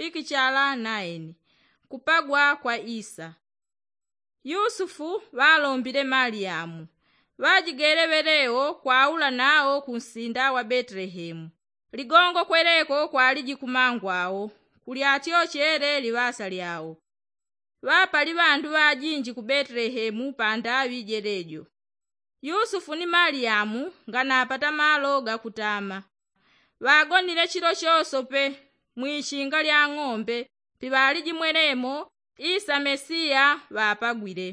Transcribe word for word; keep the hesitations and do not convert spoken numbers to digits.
pikichala naeni. Kupagwa kwa isa. Yusufu ŵalombile maliyamu. Ŵajigele ŵelewo kwaula nawo kunsinda wa betelehemu. Ligongo kweleko kwaliji kumangwao. Kulyatyochele liŵasa lyao. Ŵapali ŵandu ŵajinji ku betelehemu pandaŵi jelejo. Yusufu ni maliyamu nganapata malo gakutama. Ŵagonile chilo chosope mwishinga lya ng'ombe piŵaliji mwelemo isa mesiya ŵapagwile.